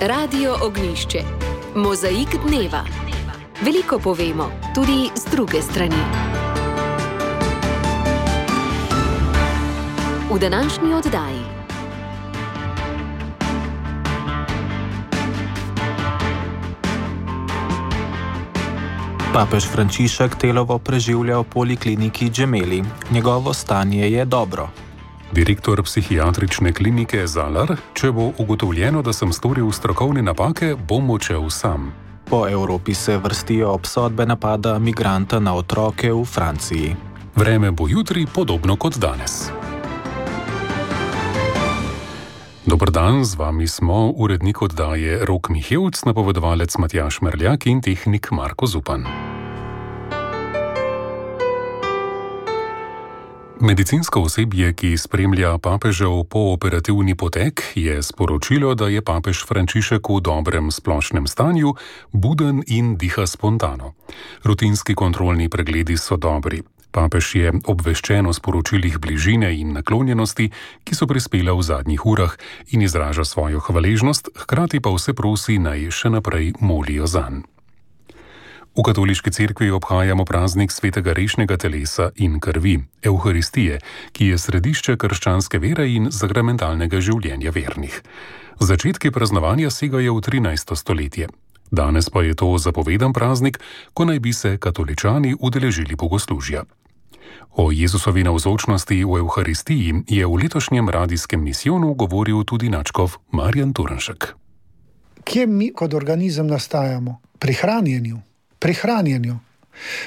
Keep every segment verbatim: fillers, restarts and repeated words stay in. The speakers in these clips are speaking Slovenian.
Radio Ognjišče. Mozaik dneva. Veliko povemo, tudi z druge strani. V današnji oddaji. Papež Frančišek telovo preživlja v polikliniki Gemelli. Njegovo stanje je dobro. Direktor psihiatrične klinike Zalar: če bo ugotovljeno, da sem storil strokovne napake, bom odšel sam. Po Evropi se vrstijo obsodbe napada migranta na otroke v Franciji. Vreme bo jutri podobno kot danes. Dober dan, z vami smo urednik oddaje Rok Mihevc, napovedovalec Matjaž Merljak in tehnik Marko Zupan. Medicinsko osebje, ki spremlja papežev pooperativni potek, je sporočilo, da je papež Frančišek v dobrem splošnem stanju, buden in diha spontano. Rutinski kontrolni pregledi so dobri. Papež je obveščen o sporočilih bližine in naklonjenosti, ki so prispela v zadnjih urah, in izraža svojo hvaležnost, hkrati pa vse prosi, naj še naprej molijo zanj. V katoliški cerkvi obhajamo praznik svetega rešnega telesa in krvi, Evharistije, ki je središče krščanske vere in zakramentalnega življenja vernih. Začetki praznovanja segajo v trinajsto stoletje. Danes pa je to zapovedan praznik, ko naj bi se katoličani udeležili bogoslužja. O Jezusovi navzočnosti v Evharistiji je v letošnjem radijskem misijonu govoril tudi nadškof Marjan Turnšek. Kje mi kot organizem nastajamo? Pri hranjenju. Pri hranjenju.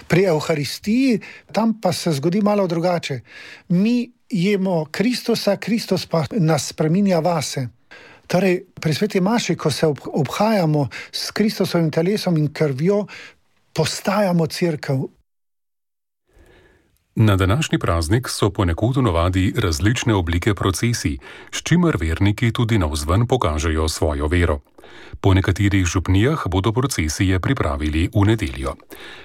Pri Evharistiji tam pa se zgodi malo drugače. Mi jemo Kristusa, Kristus pa nas spreminja vase. Torej, pri sveti maši, ko se obhajamo s Kristusovim telesom in krvjo, postajamo cerkev. Na današnji praznik so ponekod v navadi različne oblike procesij, s čimer verniki tudi navzven pokažejo svojo vero. Po nekaterih župnijah bodo procesije pripravili v nedeljo.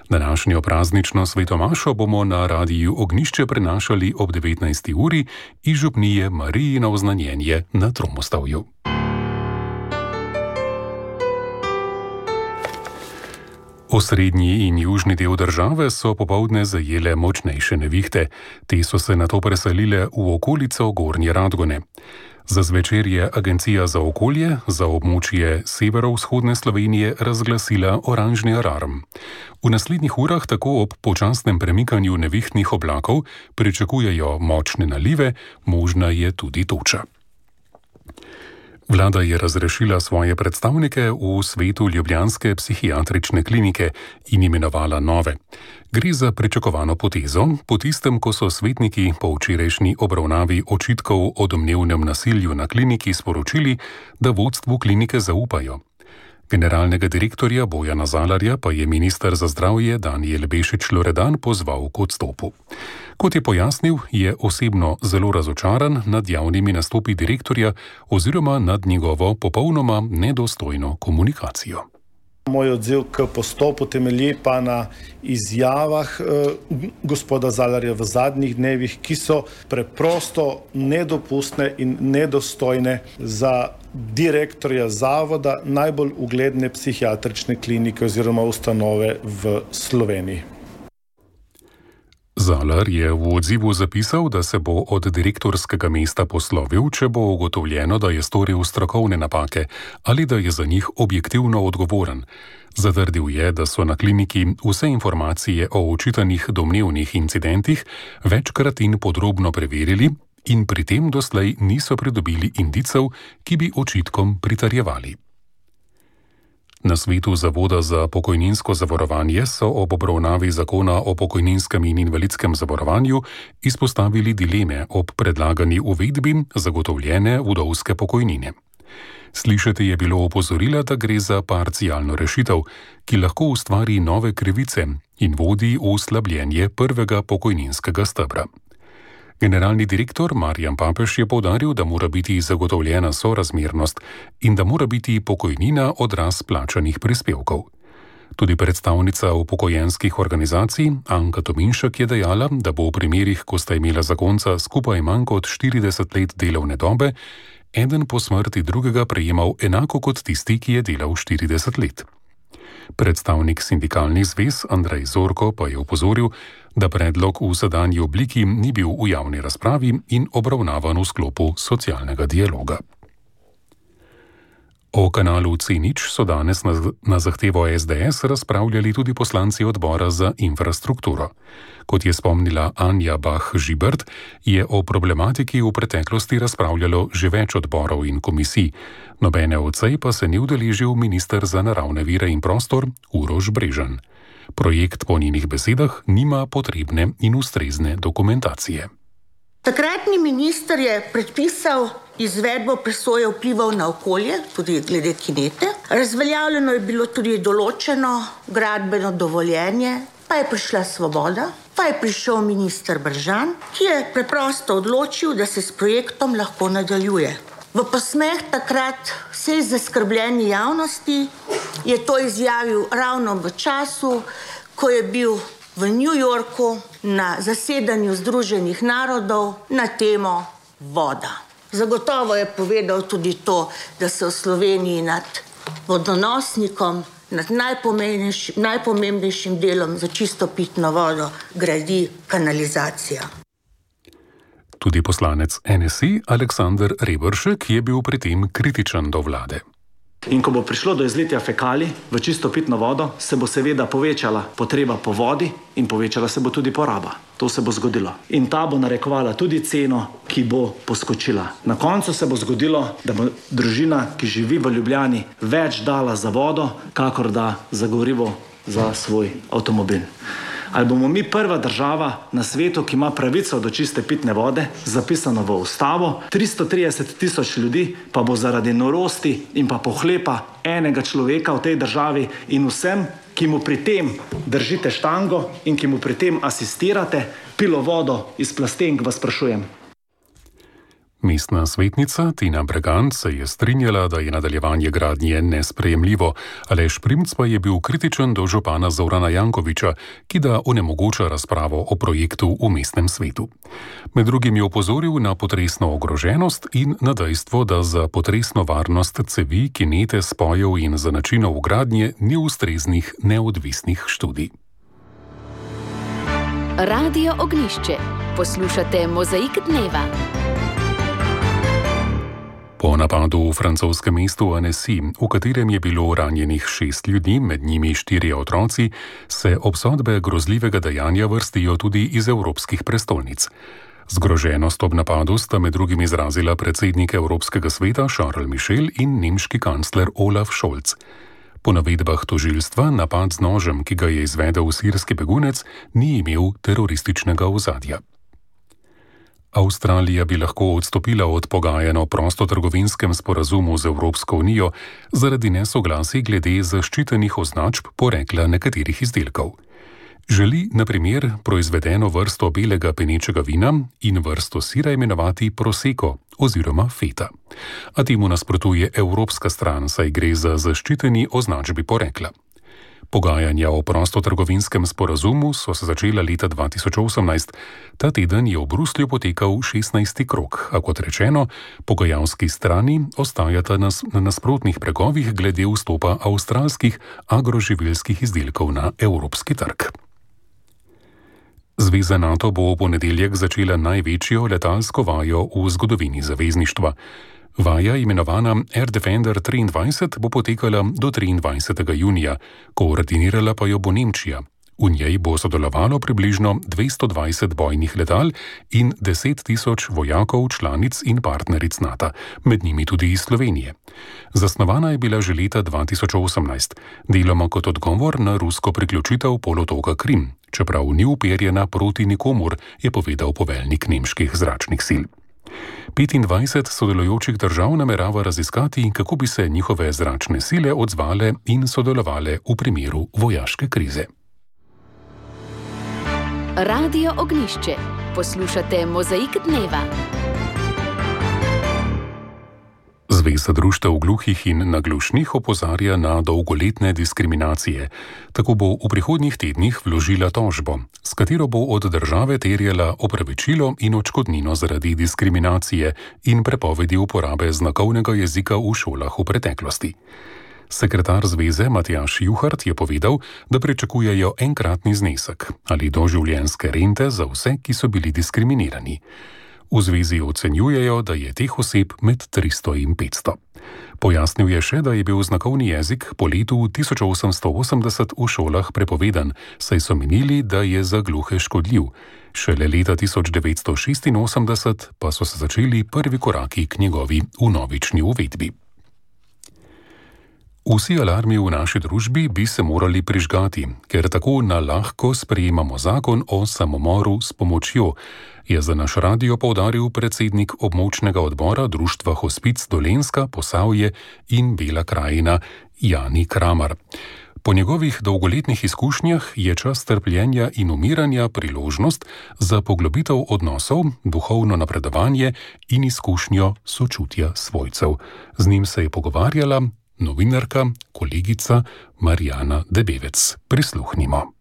Današnjo praznično svetomašo bomo na radiju Ognjišče prenašali ob devetnajsti uri iz župnije Marijino oznanjenje na Tromostavju. Osrednji in južni del države so popoldne zajele močnejše nevihte. Te so se nato preselile v okolico Gornje Radgone. Za zvečer je Agencija za okolje za območje severovzhodne Slovenije razglasila oranžni alarm. V naslednjih urah tako ob počasnem premikanju nevihtnih oblakov pričakujejo močne nalive, možna je tudi toča. Vlada je razrešila svoje predstavnike v svetu ljubljanske psihiatrične klinike in imenovala nove. Gre za pričakovano potezo, po tistem, ko so svetniki po včerajšnji obravnavi očitkov o domnevnem nasilju na kliniki sporočili, da vodstvu klinike zaupajo. Generalnega direktorja Bojana Zalarja pa je minister za zdravje Danijel Bešič Loredan pozval k odstopu. Kot je pojasnil, je osebno zelo razočaran nad javnimi nastopi direktorja oziroma nad njegovo popolnoma nedostojno komunikacijo. Moj odziv k postopu temelji pa na izjavah eh, gospoda Zalarja v zadnjih dnevih, ki so preprosto nedopustne in nedostojne za direktorja zavoda najbolj ugledne psihiatrične klinike oziroma ustanove v Sloveniji. Zalar je v odzivu zapisal, da se bo od direktorskega mesta poslovil, če bo ugotovljeno, da je storil strokovne napake ali da je za njih objektivno odgovoren. Zatrdil je, da so na kliniki vse informacije o očitanih domnevnih incidentih večkrat in podrobno preverili in pri tem doslej niso pridobili indicev, ki bi očitkom pritrjevali. Na svetu Zavoda za pokojninsko zavarovanje so ob obravnavi zakona o pokojninskem in invalidskem zavarovanju izpostavili dileme ob predlagani uvedbi zagotovljene vdovske pokojnine. Slišati je bilo opozorila, da gre za parcialno rešitev, ki lahko ustvari nove krivice in vodi v slabljenje prvega pokojninskega stebra. Generalni direktor Marjan Papež je poudaril, da mora biti zagotovljena sorazmernost in da mora biti pokojnina odraz plačanih prispevkov. Tudi predstavnica upokojenskih organizacij Anka Tominšek je dejala, da bo v primerih, ko sta imela zakonca skupaj manj kot štirideset let delovne dobe, eden po smrti drugega prejemal enako kot tisti, ki je delal štirideset let. Predstavnik sindikalnih zvez Andrej Zorko pa je opozoril, da predlog v sedanji obliki ni bil v javni razpravi in obravnavan v sklopu socialnega dialoga. O kanalu C nič so danes na, na zahtevo S D S razpravljali tudi poslanci odbora za infrastrukturo. Kot je spomnila Anja Bah-Žibert, je o problematiki v preteklosti razpravljalo že več odborov in komisij. Nobene od sej pa se ni udeležil minister za naravne vire in prostor Uroš Brežan. Projekt po njenih besedah nima potrebne in ustrezne dokumentacije. Takratni minister je predpisal izvedbo presoje vplivov na okolje, tudi glede kinete. Razveljavljeno je bilo tudi določeno gradbeno dovoljenje, pa je prišla Svoboda, pa je prišel minister Brežan, ki je preprosto odločil, da se s projektom lahko nadaljuje. V posmeh takrat vsej zaskrbljeni javnosti je to izjavil ravno v času, ko je bil v New Yorku na zasedanju Združenih narodov na temo voda. Zagotovo je povedal tudi to, da se v Sloveniji nad vodonosnikom, nad najpomembnejšim, najpomembnejšim delom za čisto pitno vodo gradi kanalizacija. Tudi poslanec N S I Aleksander Reberšek je bil pri tem kritičen do vlade. In ko bo prišlo do izlitja fekalij v čisto pitno vodo, se bo seveda povečala potreba po vodi in povečala se bo tudi poraba. To se bo zgodilo. In ta bo narekovala tudi ceno, ki bo poskočila. Na koncu se bo zgodilo, da bo družina, ki živi v Ljubljani, več dala za vodo, kakor da za gorivo za svoj avtomobil. Ali bomo mi prva država na svetu, ki ima pravico do čiste pitne vode, zapisano v ustavo, tristo trideset tisoč ljudi pa bo zaradi norosti in pa pohlepa enega človeka v tej državi in vsem, ki mu pri tem držite štango in ki mu pri tem asistirate, pilo vodo iz plastenk, vas sprašujem. Mestna svetnica Tina Bregant se je strinjala, da je nadaljevanje gradnje nesprejemljivo, Aleš Primc pa je bil kritičen do župana Zorana Jankovića, ki da onemogoča razpravo o projektu v mestnem svetu. Med drugim je opozoril na potresno ogroženost in na dejstvo, da za potresno varnost cevi, kinete, spojev in za načinov gradnje ni ustreznih neodvisnih študij. Radio Ognjišče. Poslušate Mozaik dneva. Po napadu v francoskem mestu Annecy, v katerem je bilo ranjenih šest ljudi, med njimi štirje otroci, se obsodbe grozljivega dejanja vrstijo tudi iz evropskih prestolnic. Zgroženost ob napadu sta med drugim izrazila predsednik Evropskega sveta Charles Michel in nemški kancler Olaf Scholz. Po navedbah tožilstva napad z nožem, ki ga je izvedel sirski begunec, ni imel terorističnega ozadja. Avstralija bi lahko odstopila od pogajanj o prostotrgovinskem sporazumu z Evropsko unijo zaradi nesoglasij glede zaščitenih označb porekla nekaterih izdelkov. Želi, na primer, proizvedeno vrsto belega penečega vina in vrsto sira imenovati prosecco oziroma feta. A temu nasprotuje evropska stran, saj gre za zaščiteni označbi porekla. Pogajanja o prostotrgovinskem sporazumu so se začela leta dva tisoč osemnajst. Ta teden je v Bruslju potekal šestnajsti krog, a kot rečeno, pogajalski strani ostajata na nasprotnih bregovih glede vstopa avstralskih agroživilskih izdelkov na evropski trg. Zveza NATO bo v ponedeljek začela največjo letalsko vajo v zgodovini zavezništva. Vaja, imenovana Air Defender triindvajset, bo potekala do triindvajsetega junija, koordinirala pa jo bo Nemčija. V njej bo sodelovalo približno dvesto dvajset bojnih letal in deset tisoč vojakov, članic in partneric NATO, med njimi tudi iz Slovenije. Zasnovana je bila že leta dva tisoč osemnajst, deloma kot odgovor na rusko priključitev polotoka Krim, čeprav ni uperjena proti nikomur, je povedal poveljnik nemških zračnih sil. petindvajset sodelujočih držav namerava raziskati, kako bi se njihove zračne sile odzvale in sodelovale v primeru vojaške krize. Radio Zveza društev gluhih in naglušnih opozarja na dolgoletne diskriminacije. Tako bo v prihodnjih tednih vložila tožbo, s katero bo od države terjala opravičilo in odškodnino zaradi diskriminacije in prepovedi uporabe znakovnega jezika v šolah v preteklosti. Sekretar zveze Matjaž Juhart je povedal, da pričakujejo enkratni znesek ali doživljenjske rente za vse, ki so bili diskriminirani. V zvezi ocenjujejo, da je teh oseb med tristo in petsto. Pojasnil je še, da je bil znakovni jezik po letu tisoč osemsto osemdeset v šolah prepovedan, saj so menili, da je za gluhe škodljiv. Šele leta tisoč devetsto šestinosemdeset pa so se začeli prvi koraki k njegovi vnovični uvedbi. Vsi alarmi v naši družbi bi se morali prižgati, ker tako na lahko sprejemamo zakon o samomoru s pomočjo, je za naš radio poudaril predsednik območnega odbora Društva Hospic Dolenjska, Posavje in Bela krajina Jani Kramar. Po njegovih dolgoletnih izkušnjah je čas trpljenja in umiranja priložnost za poglobitev odnosov, duhovno napredovanje in izkušnjo sočutja svojcev. Z njim se je pogovarjala novinarka, kolegica Marjana Debevec. Prisluhnimo.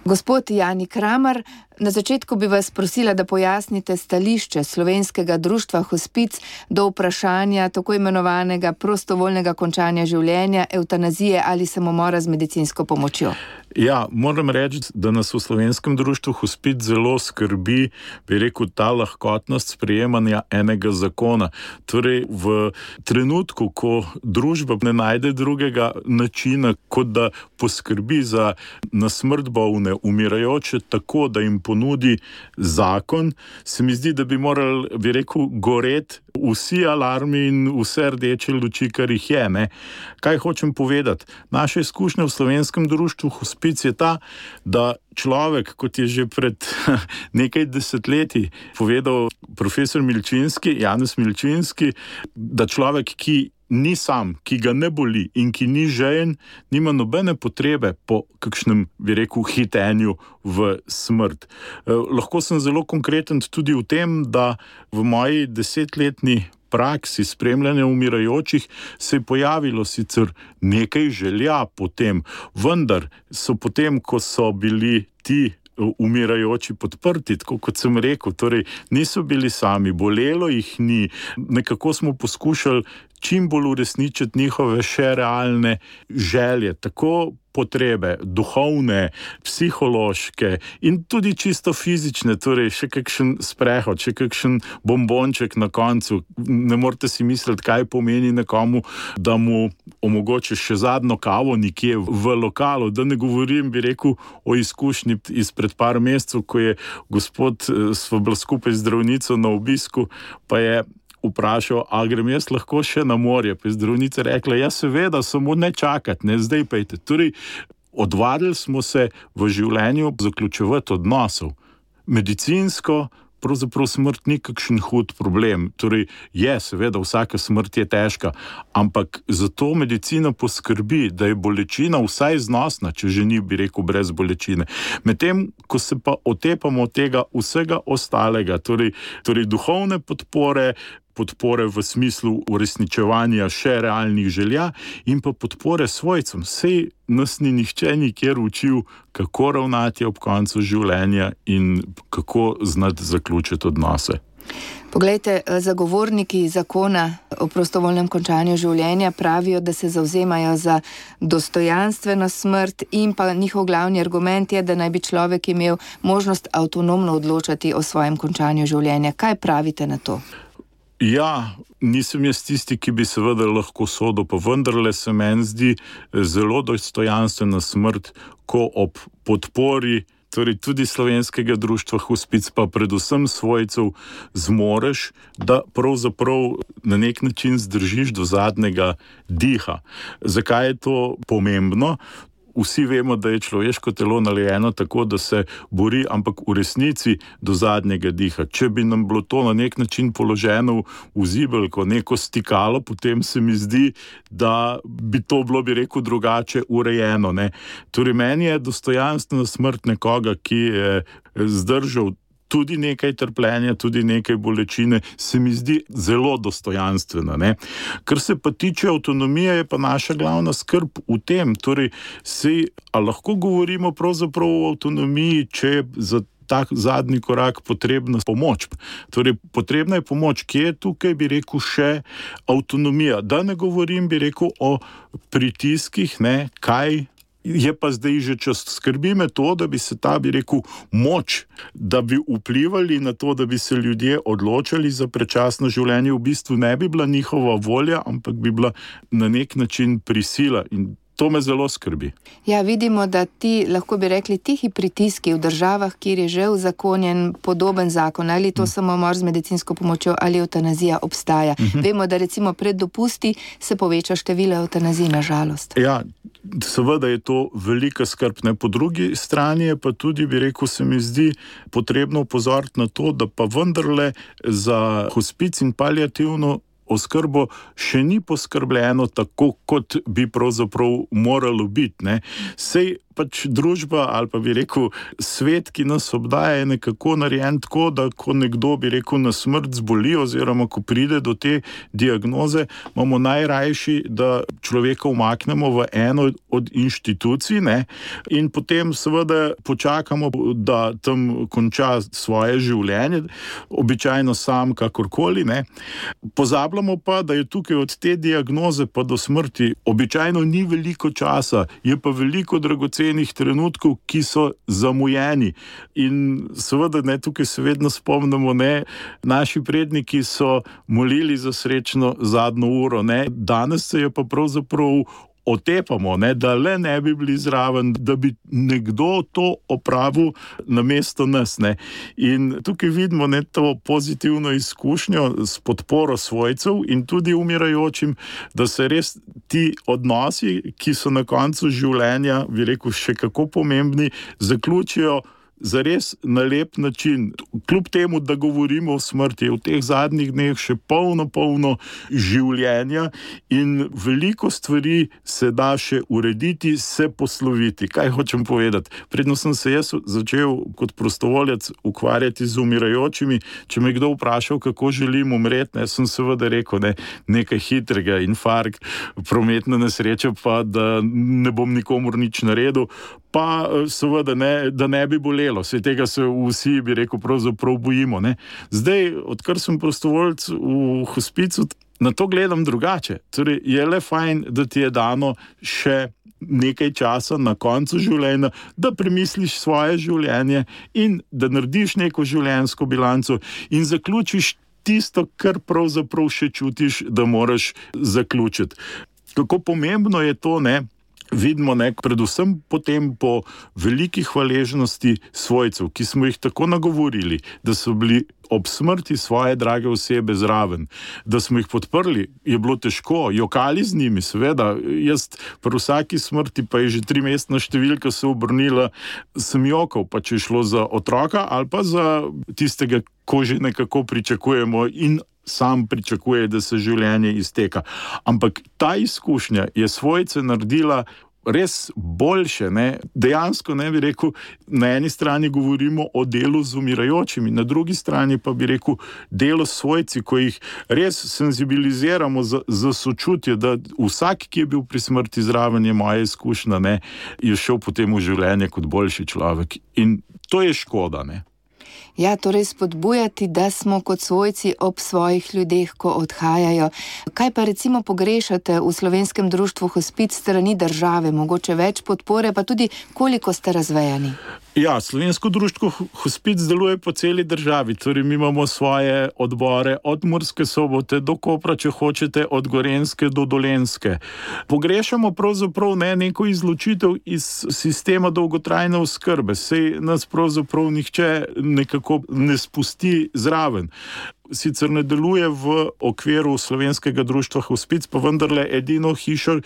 Gospod Jani Kramar, na začetku bi vas prosila, da pojasnite stališče Slovenskega društva Hospic do vprašanja tako imenovanega prostovoljnega končanja življenja, evtanazije ali samomora z medicinsko pomočjo. Ja, moram reči, da nas v Slovenskem društvu Hospic zelo skrbi, bi rekel, ta lahkotnost sprejemanja enega zakona. Torej, v trenutku, ko družba ne najde drugega načina, kot da poskrbi za na smrt bolne, umirajoče, tako da jim ponudi zakon, se mi zdi, da bi morali, bi rekel, goreti vsi alarmi in vse rdeče luči, kar jih je. Ne? Kaj hočem povedati? Naša izkušnja v Slovenskem društvu Hospic je ta, da človek, kot je že pred nekaj desetletji povedal profesor Milčinski, Janez Milčinski, da človek, ki ni sam, ki ga ne boli in ki ni žejen, nima nobene potrebe po kakšnem, bi rekel, hitenju v smrt. Eh, lahko sem zelo konkreten tudi v tem, da v moji desetletni praksi spremljanja umirajočih se je pojavilo sicer nekaj želja potem, vendar so potem, ko so bili ti umirajoči podprti, tako kot sem rekel, torej niso bili sami, bolelo jih ni, nekako smo poskušali čim bolj uresničiti njihove še realne želje, tako potrebe, duhovne, psihološke in tudi čisto fizične, torej še kakšen sprehod, še kakšen bombonček na koncu. Ne morete si misliti, kaj pomeni nekomu, da mu omogočiš še zadnjo kavo nekje v lokalu. Da ne govorim, bi rekel, o izkušnji izpred par mesecev, ko je gospod, sva bila skupaj z zdravnico na obisku, pa je vprašal, a grem jaz lahko še na morje. Pa je zdravnica rekla, ja seveda, samo ne čakati, ne zdaj pejte. Torej, odvadili smo se v življenju zaključevati odnosov. Medicinsko pravzaprav smrt ni kakšen hud problem. Torej, je, seveda, vsaka smrt je težka, ampak zato medicina poskrbi, da je bolečina vsaj znosna, če že ni, bi rekel, brez bolečine. Medtem, ko se pa otepamo tega vsega ostalega, torej, torej duhovne podpore, podpore v smislu uresničevanja še realnih želja in pa podpore svojcem. Sej nas ni nihče nikjer učil, kako ravnati ob koncu življenja in kako znati zaključiti odnose. Poglejte, zagovorniki zakona o prostovoljnem končanju življenja pravijo, da se zavzemajo za dostojanstveno smrt in pa njihov glavni argument je, da naj bi človek imel možnost avtonomno odločati o svojem končanju življenja. Kaj pravite na to? Ja, nisem jaz tisti, ki bi seveda lahko sodil, pa vendarle se meni zdi zelo dostojanstvena smrt, ko ob podpori, torej tudi Slovenskega društva Hospic, pa predvsem svojcev, zmoreš, da pravzaprav na nek način zdržiš do zadnjega diha. Zakaj je to pomembno? Vsi vemo, da je človeško telo narejeno tako, da se bori, ampak v resnici do zadnjega diha. Če bi nam bilo to na nek način položeno v zibelko, neko stikalo, potem se mi zdi, da bi to bilo, bi rekel, drugače urejeno. Ne? Torej, meni je dostojanstvena smrt nekoga, ki je zdržal tudi nekaj trpljenja, tudi nekaj bolečine, se mi zdi zelo dostojanstvena. Ne? Kar se pa tiče avtonomije, je pa naša glavna skrb v tem, torej sej, a lahko govorimo pravzaprav o avtonomiji, če je za tak zadnji korak potrebna pomoč. Torej, potrebna je pomoč, kje je tukaj, bi rekel, še avtonomija. Da ne govorim, bi rekel, o pritiskih, ne, kaj je pa zdaj že čas. Skrbi me to, da bi se ta, bi rekel, moč, da bi vplivali na to, da bi se ljudje odločali za predčasno življenje, v bistvu ne bi bila njihova volja, ampak bi bila na nek način prisila. In to me zelo skrbi. Ja, vidimo, da ti, lahko bi rekli, tihi pritiski v državah, kjer je že uzakonjen podoben zakon, ali to mm. samomor z medicinsko pomočjo, ali eutanazija obstaja. Mm-hmm. Vemo, da recimo pred dopusti se poveča število eutanazij, na žalost. Ja, seveda je to velika skrb. Ne? Po drugi strani je pa tudi, bi rekel, se mi zdi potrebno opozoriti na to, da pa vendarle za hospic in paliativno oskrbo še ni poskrbljeno tako, kot bi pravzaprav moralo biti. Ne? Sej pač družba ali pa bi rekel svet, ki nas obdaja, je nekako narejen tako, da ko nekdo bi rekel na smrt zboli oziroma ko pride do te diagnoze, imamo najrajši, da človeka umaknemo v eno od inštitucij, ne? In potem seveda počakamo, da tam konča svoje življenje, običajno sam kakorkoli, ne? Pozabljamo pa, da je tukaj od te diagnoze pa do smrti običajno ni veliko časa, je pa veliko dragocen trenutkov, ki so zamujeni. In seveda, ne, tukaj se vedno spomnimo, ne, naši predniki so molili za srečno zadnjo uro, ne, danes se je pa pravzaprav otepamo, ne, da le ne bi bili zraven, da bi nekdo to opravil namesto nas. Ne. In tukaj vidimo, ne, to pozitivno izkušnjo s podporo svojcev in tudi umirajočim, da se res ti odnosi, ki so na koncu življenja, bi rekel, še kako pomembni, zaključijo zares na lep način. Kljub temu, da govorimo o smrti, v teh zadnjih dneh še polno, polno življenja in veliko stvari se da še urediti, se posloviti. Kaj hočem povedati? Predno sem se jaz začel kot prostovoljec ukvarjati z umirajočimi, če me kdo vprašal, kako želim umreti, ne, sem seveda rekel, ne, nekaj hitrega, infarkt, prometna nesreča, pa da ne bom nikomur nič naredil, pa seveda ne, da ne bi bolelo. Vse tega se vsi, bi rekel, pravzaprav bojimo. Ne? Zdaj, odkar sem prostovoljec v hospicu, na to gledam drugače. Torej, je le fajn, da ti je dano še nekaj časa na koncu življenja, da premisliš svoje življenje in da narediš neko življenjsko bilanco in zaključiš tisto, kar pravzaprav še čutiš, da moraš zaključiti. Kako pomembno je to, ne? Vidimo, ne, predvsem potem po veliki hvaležnosti svojcev, ki smo jih tako nagovorili, da so bili ob smrti svoje drage osebe zraven, da smo jih podprli, je bilo težko, jokali z njimi, seveda, jaz pri vsaki smrti, pa je že trimestna številka se obrnila, sem jokal, pa če je šlo za otroka ali pa za tistega, ko že nekako pričakujemo in sam pričakuje, da se življenje izteka. Ampak ta izkušnja je svojce naredila res boljše, ne? Dejansko, ne bi rekel, na eni strani govorimo o delu z umirajočimi, na drugi strani pa bi rekel delo s svojci, ko jih res senzibiliziramo za, za sočutje, da vsak, ki je bil pri smrti zraven, je moja izkušnja, ne, je šel potem v življenje kot boljši človek. In to je škoda, ne. Ja, torej spodbujati, da smo kot svojci ob svojih ljudeh, ko odhajajo. Kaj pa recimo pogrešate v Slovenskem društvu hospic strani države? Mogoče več podpore, pa tudi koliko ste razvejani? Ja, Slovensko društvo hospic deluje po celi državi, torej mi imamo svoje odbore od Murske Sobote do Kopra, če hočete, od Gorenjske do Dolenjske. Pogrešamo pravzaprav ne neko izločitev iz sistema dolgotrajne oskrbe, sej nas pravzaprav nihče nekako ne spusti zraven. Sicer ne deluje v okviru Slovenskega društva hospic, pa vendarle edino hišo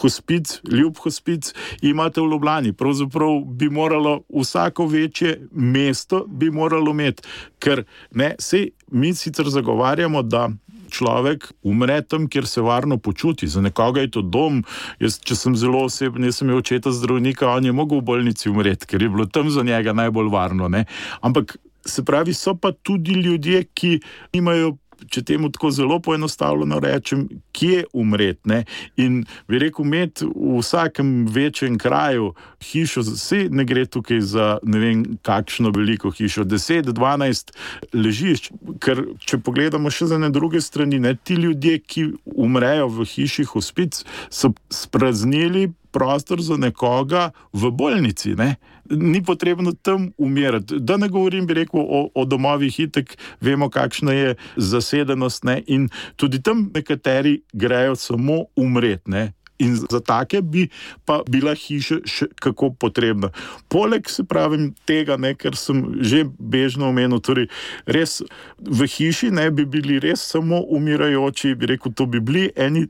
hospic, ljub hospic imate v Ljubljani. Pravzaprav bi moralo vsako večje mesto bi moralo imeti, ker ne, sej mi sicer zagovarjamo, da človek umre tam, kjer se varno počuti. Za nekoga je to dom. Jaz, če sem zelo oseben, jaz sem imel očeta zdravnika, on je mogel v bolnici umreti, ker je bilo tam za njega najbolj varno. Ne? Ampak Se pravi, so pa tudi ljudje, ki imajo, če temu tako zelo poenostavljeno rečem, kje umreti, ne? In bi rekel, imeti v vsakem večjem kraju hišo, vse ne gre tukaj za ne vem kakšno veliko hišo, deset, dvanajst ležišč, ker če pogledamo še za ne druge strani, ne, ti ljudje, ki umrejo v hiši hospic, so spraznili prostor za nekoga v bolnici, ne? Ni potrebno tam umirati. Da ne govorim, bi rekel, o, o domovih, itek vemo, kakšna je zasedenost, ne? In tudi tam nekateri grejo samo umreti, ne? In za take bi pa bila hiša še kako potrebna. Poleg, se pravim, tega, ne, ker sem že bežno omenil, torej res v hiši ne bi bili res samo umirajoči, bi rekel, to bi bili eni,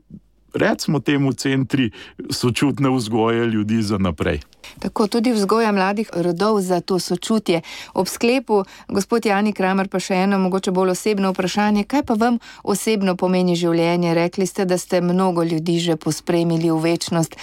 recimo temu, centri sočutne vzgoje ljudi za naprej. Tako, tudi vzgoja mladih rodov za to sočutje. Ob sklepu, gospod Jani Kramer, pa še eno mogoče bolj osebno vprašanje. Kaj pa vam osebno pomeni življenje? Rekli ste, da ste mnogo ljudi že pospremili v večnost.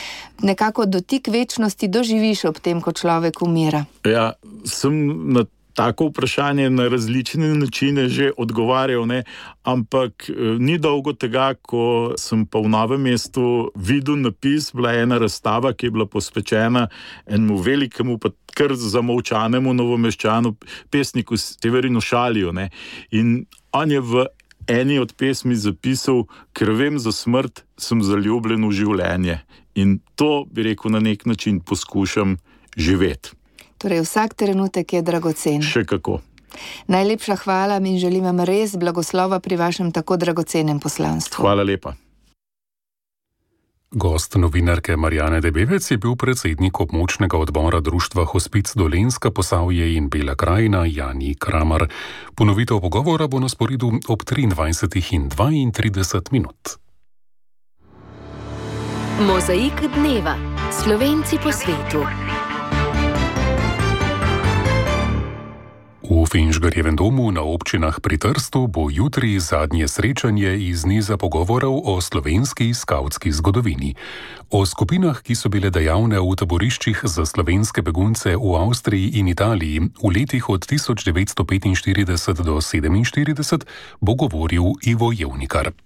Nekako dotik večnosti doživiš ob tem, ko človek umira. Ja, sem na tako vprašanje na različne načine že odgovarjal, ne? Ampak eh, ni dolgo tega, ko sem pa v Novem mestu videl napis, bila ena razstava, ki je bila posvečena enemu velikemu, pa kar zamolčanemu Novomeščanu, pesniku Severinu Šaliju, ne? In on je v eni od pesmi zapisal, ker vem za smrt, sem zaljubljen v življenje. In to, bi rekel, na nek način poskušam živeti. Torej, vsak trenutek je dragocen. Še kako. Najlepša hvala in želim vam res blagoslova pri vašem tako dragocenem poslanstvu. Hvala lepa. Gost novinarke Marjane Debevec je bil predsednik območnega odbora Društva Hospic Dolenjska, Posavje in Bela krajina Jani Kramer. Ponovitev pogovora bo na sporedu ob triindvajsetih in dvaintrideset minut. Mozaik dneva. Slovenci po svetu. V Finžgarjevem domu na občinah pri Trstu bo jutri zadnje srečanje iz niza pogovorov o slovenski skavtski zgodovini. O skupinah, ki so bile dejavne v taboriščih za slovenske begunce v Avstriji in Italiji v letih od tisoč devetsto petinštirideset do sedeminštirideset, bo govoril Ivo Jevnikar.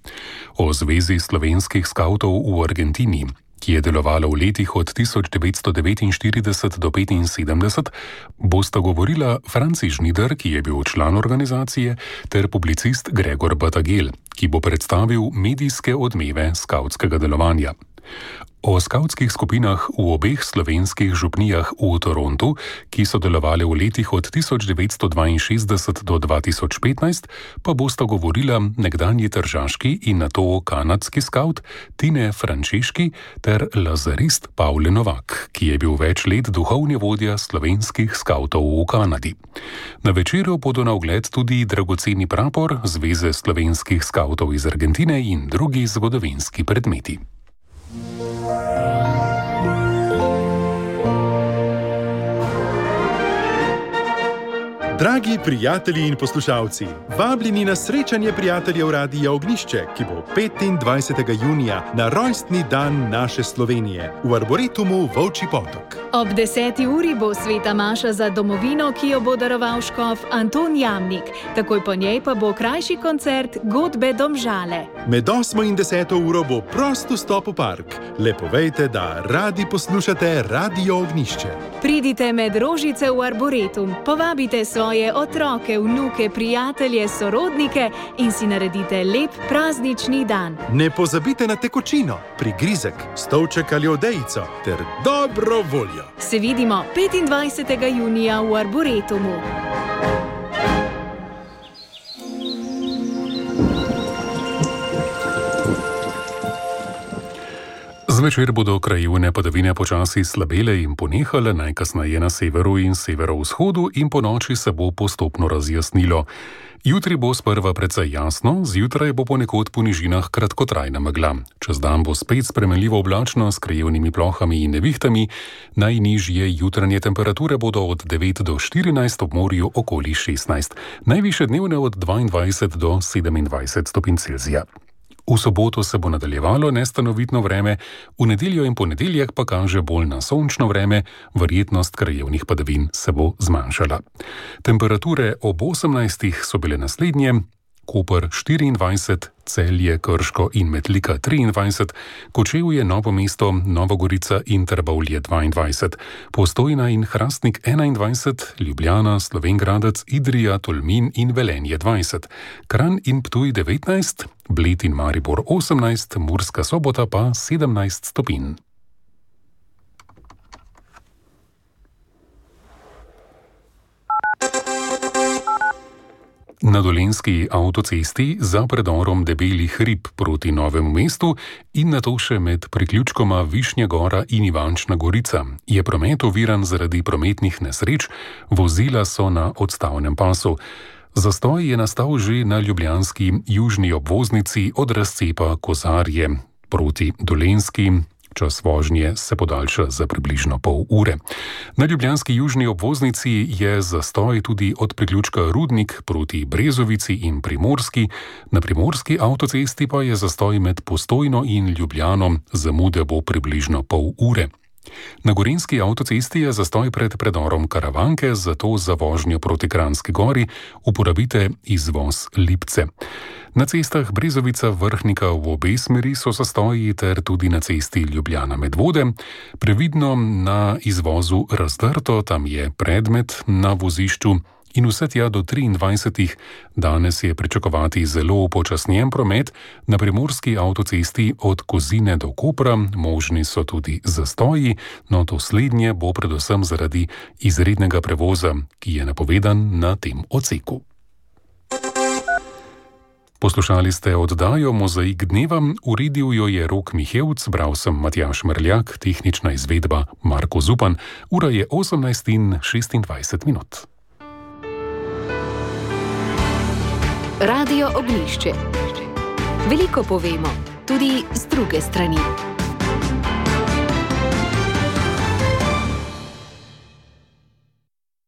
O zvezi slovenskih skavtov v Argentini, ki je delovala v letih od tisoč devetsto devetinštirideset do petinsedemdeset, bosta govorila Franci Žnider, ki je bil član organizacije, ter publicist Gregor Batagel, ki bo predstavil medijske odmeve skavtskega delovanja. O skavtskih skupinah v obeh slovenskih župnijah v Torontu, ki so delovali v letih od tisoč devetsto dvainšestdeset do dva tisoč petnajst, pa bosta govorila nekdanji tržaški in nato kanadski skavt Tine Frančeški ter lazarist Pavle Novak, ki je bil več let duhovni vodja slovenskih skavtov v Kanadi. Na večeru bodo na ogled tudi dragoceni prapor Zveze slovenskih skavtov iz Argentine in drugi zgodovinski predmeti. Dragi prijatelji in poslušalci, vabljeni na srečanje prijateljev Radia Ognišče, ki bo petindvajsetega junija na rojstni dan naše Slovenije v Arboretumu Volčji Potok. Ob deseti uri bo sveta maša za domovino, ki jo bo daroval škof Anton Jamnik. Takoj po njej pa bo krajši koncert Godbe Domžale. Med osmo in deseto uro bo prost vstop v park. Le povejte, da radi poslušate Radio Ognišče. Pridite med rožice v Arboretum, povabite svoje otroke, vnuke, prijatelje, sorodnike in si naredite lep praznični dan. Ne pozabite na tekočino, prigrizek, stolček ali odejico ter dobro voljo. Se vidimo petindvajsetega junija v Arboretumu. Zvečer bodo krajevne padavine počasi slabele in ponehale, najkasneje na severu in severovzhodu, in ponoči se bo postopno razjasnilo. Jutri bo sprva precej jasno, zjutraj bo ponekod po nižinah kratkotrajna megla. Čez dan bo spet spremenljivo oblačno s krajevnimi plohami in nevihtami. Najnižje jutranje temperature bodo od devet do štirinajst, ob morju okoli šestnajst. Najvišje dnevne od dvaindvajset do sedemindvajset stopinj Celzija. V soboto se bo nadaljevalo nestanovitno vreme, v nedeljo in ponedeljek pa kaže bolj na sončno vreme, verjetnost krajevnih padavin se bo zmanjšala. Temperature ob osemnajstih so bile naslednje: Koper štiriindvajset, Celje, Krško in Metlika triindvajset, Kočevje, Novo mesto, Nova Gorica in Trbovlje dvaindvajset, Postojna in Hrastnik enaindvajset, Ljubljana, Slovenj Gradec, Idrija, Tolmin in Velenje dvajset, Kranj in Ptuj devetnajst, Bled in Maribor osemnajst, Murska Sobota pa sedemnajst stopinj. Na Dolenjski avtocesti za predorom Debelih rib proti Novemu mestu in nato še med priključkoma Višnja Gora in Ivančna Gorica je promet oviran zaradi prometnih nesreč, vozila so na odstavnem pasu. Zastoj je nastal že na ljubljanski južni obvoznici od razcepa Kozarje proti Dolenjski. Čas vožnje se podaljša za približno pol ure. Na ljubljanski južni obvoznici je zastoj tudi od priključka Rudnik proti Brezovici in Primorski, na primorski avtocesti pa je zastoj med Postojno in Ljubljano, zamude bo približno pol ure. Na gorenjski avtocesti je zastoj pred predorom Karavanke, zato za vožnjo proti Kranjski Gori uporabite izvoz Lipce. Na cestah Brezovica Vrhnika v obe smeri so zastoji ter tudi na cesti Ljubljana Medvode. Previdno na izvozu Razdrto, tam je predmet na vozišču in vse tja do triindvajsetih. Danes je pričakovati zelo upočasnjen promet na primorski avtocesti od Kozine do Kopra, možni so tudi zastoji, no to slednje bo predvsem zaradi izrednega prevoza, ki je napovedan na tem odseku. Poslušali ste oddajo Mozaik dneva, uredil jo je Rok Mihevc, bral sem Matjaž Mrljak, tehnična izvedba Marko Zupan, ura je osemnajst in šestindvajset minut. Radio Ognjišče. Veliko povemo, tudi z druge strani.